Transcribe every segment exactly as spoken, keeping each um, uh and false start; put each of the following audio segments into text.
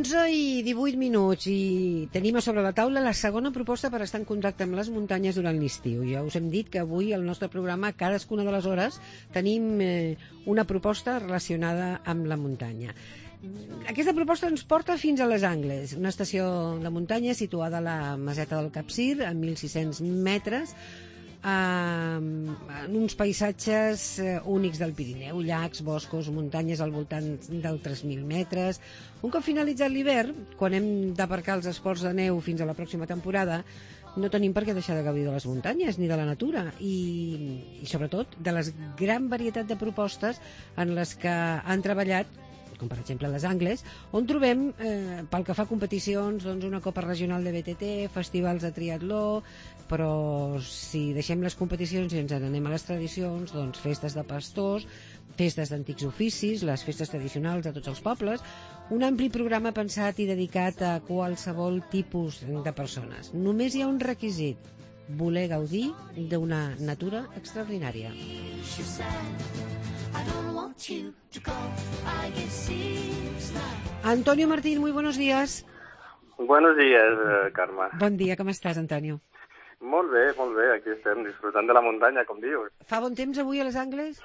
onze i divuit minuts i tenim a sobre la taula la segona proposta per estar en contacte amb les muntanyes durant l'estiu. Ja us hem dit que avui al nostre programa, a cadascuna de les hores, tenim eh, una proposta relacionada amb la muntanya. Aquesta proposta ens porta fins a les Angles, una estació de muntanya situada a la Meseta del Capcir, a mil sis-cents metres, en uns paisatges únics del Pirineu, llacs, boscos, muntanyes al voltant dels tres mil metres. Un cop finalitzat l'hivern, quan hem d'aparcar els esports de neu fins a la pròxima temporada, no tenim per què deixar de gaudir de les muntanyes ni de la natura i, i sobretot de la gran varietat de propostes en les que han treballat, com per exemple les Angles, on trobem, eh, pel que fa a competicions, doncs una Copa Regional de B T T, festivals de triatló, però si deixem les competicions i ens n'anem a les tradicions, doncs festes de pastors, festes d'antics oficis, les festes tradicionals de tots els pobles, un ampli programa pensat i dedicat a qualsevol tipus de persones. Només hi ha un requisit: voler gaudir d'una natura extraordinària. Antonio Martín, muy buenos días. Buenos días, eh, Carme. Bon dia, com estàs, Antonio? Molt bé, molt bé, aquí estem disfrutant de la muntanya, com dius. Fa bon temps avui a les Angles?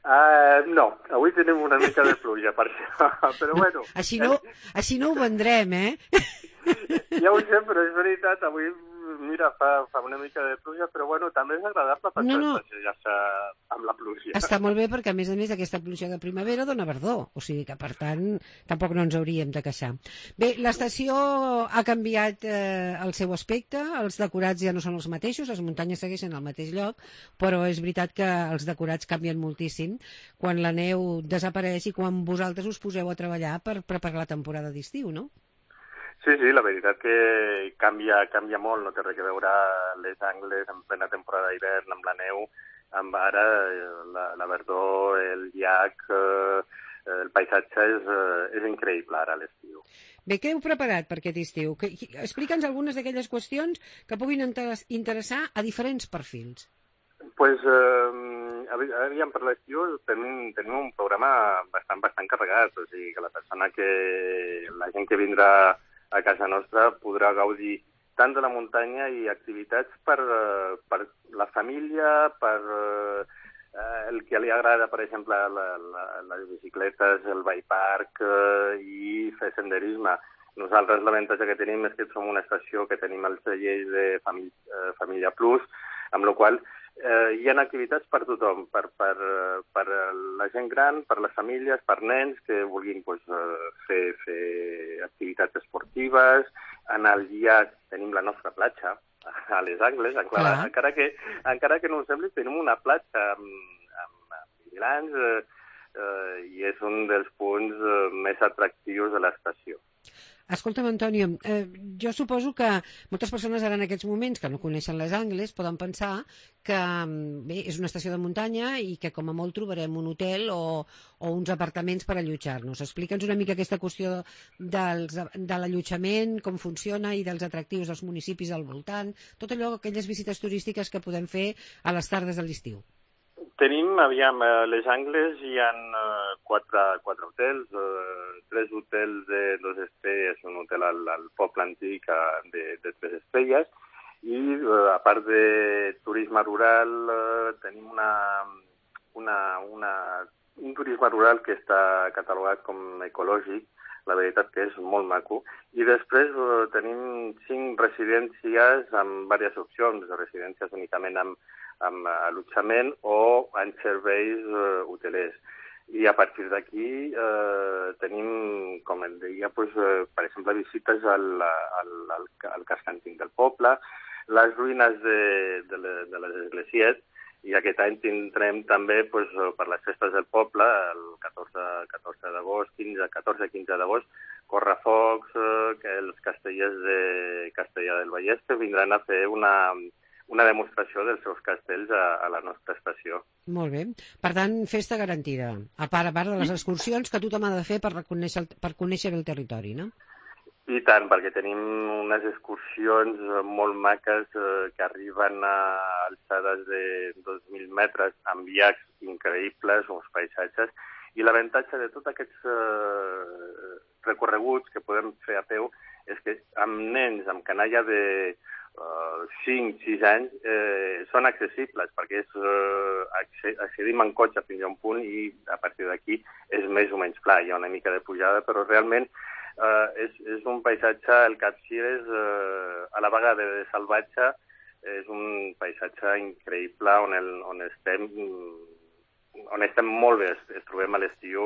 Uh, no, avui tenim una mica de pluja, per això, però no, bueno. Així no, així no ho vendrem, eh? Ja ho sé, però és veritat, avui, mira, fa, fa una mica de pluja, però bueno, també és agradable per no, no. passejar-se amb la pluja. Està molt bé perquè, a més a més, aquesta pluja de primavera dona verdor, o sigui que, per tant, tampoc no ens hauríem de queixar. Bé, l'estació ha canviat eh, el seu aspecte, els decorats ja no són els mateixos, les muntanyes segueixen al mateix lloc, però és veritat que els decorats canvien moltíssim quan la neu desapareix i quan vosaltres us poseu a treballar per preparar la temporada d'estiu, no? Sí, sí, la veritat que canvia, canvia molt, no té res a veure les Angles en plena temporada d'hivern amb la neu, amb ara la, la verdor, el llac, eh, el paisatge és, és increïble ara a l'estiu. Bé, què heu preparat per aquest estiu? Explica'ns algunes d'aquelles qüestions que puguin interessar a diferents perfils. Pues, eh, aviam, per l'estiu tenim, tenim un programa bastant, bastant carregat, o sigui que la persona que, la gent que vindrà a casa nostra podrà gaudir tant de la muntanya i activitats per, per la família, per eh, el que li agrada, per exemple, la, la, les bicicletes, el bike park eh, i fer senderisme. Nosaltres l'avantatge que tenim és que som una estació que tenim el celler de Família, eh, Família Plus, amb la qual eh, hi ha activitats per tothom, per, per, per la gent gran, per les famílies, per nens que vulguin pues, fer, fer activitats esportives. En el llac tenim la nostra platja, a les Angles, encara, encara, que, encara que no ho sembli, tenim una platja amb, amb, amb vigilants eh, eh, i és un dels punts eh, més atractius de l'estació. Escolta'm, Antonio, eh, jo suposo que moltes persones ara en aquests moments que no coneixen les Angles poden pensar que bé, és una estació de muntanya i que com a molt trobarem un hotel o, o uns apartaments per allotjar-nos. Explica'ns una mica aquesta qüestió dels, de l'allotjament, com funciona i dels atractius dels municipis al voltant, tot allò, aquelles visites turístiques que podem fer a les tardes de l'estiu. Tenim, aviam, a les Angles hi ha uh, quatre, quatre hotels, uh, tres hotels de dos estrelles, un hotel al, al poble antic uh, de, de tres estrelles, i uh, a part de turisme rural uh, tenim una, una, una, un turisme rural que està catalogat com ecològic, la veritat que és molt maco, i després uh, tenim cinc residències amb diverses opcions, residències únicament amb amb allotjament o en serveis eh, hotelers. I a partir d'aquí eh, tenim, com et deia, pues, eh, per exemple, visites al, al, al, al casc antic del poble, les ruïnes de, de, de les esglésies, i aquest any tindrem també pues, per les festes del poble, el catorze d'agost, quinze, catorze i quinze d'agost, correfocs, eh, que els castellers de Castellar del Vallès que vindran a fer una una demostració dels seus castells a, a la nostra estació. Molt bé. Per tant, festa garantida. A part, a part de les excursions que tothom ha de fer per conèixer, per conèixer el territori, no? I tant, perquè tenim unes excursions molt maques eh, que arriben a alçades de dos mil metres amb llacs increïbles, uns paisatges, I l'avantatge de tots aquests eh, recorreguts que podem fer a peu és que amb nens, amb canalla de uh, cinc sis anys, eh, són accessibles, perquè és, eh, accedim en cotxe fins a un punt i a partir d'aquí és més o menys pla. Hi ha una mica de pujada, però realment eh, és, és un paisatge, el Capcir és eh, a la vegada de salvatge, és un paisatge increïble on, el, on estem on estem molt bé, es trobem a l'estiu,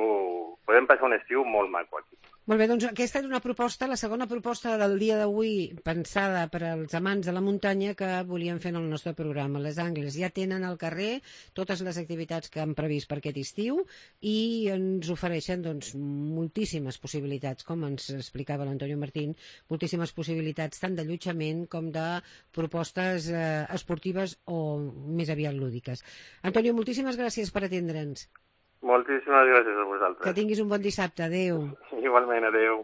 podem passar un estiu molt maco aquí. Molt bé, doncs aquesta és una proposta, la segona proposta del dia d'avui, pensada per als amants de la muntanya que volíem fer en el nostre programa. Les Angles ja tenen al carrer totes les activitats que han previst per aquest estiu i ens ofereixen doncs, moltíssimes possibilitats, com ens explicava l'Antonio Martín, moltíssimes possibilitats tant d'allotjament com de propostes eh, esportives o més aviat lúdiques. Antonio, moltíssimes gràcies per atendre'ns. Moltíssimes gràcies a vosaltres. Que tinguis un bon dissabte. Adéu. Igualment, adéu.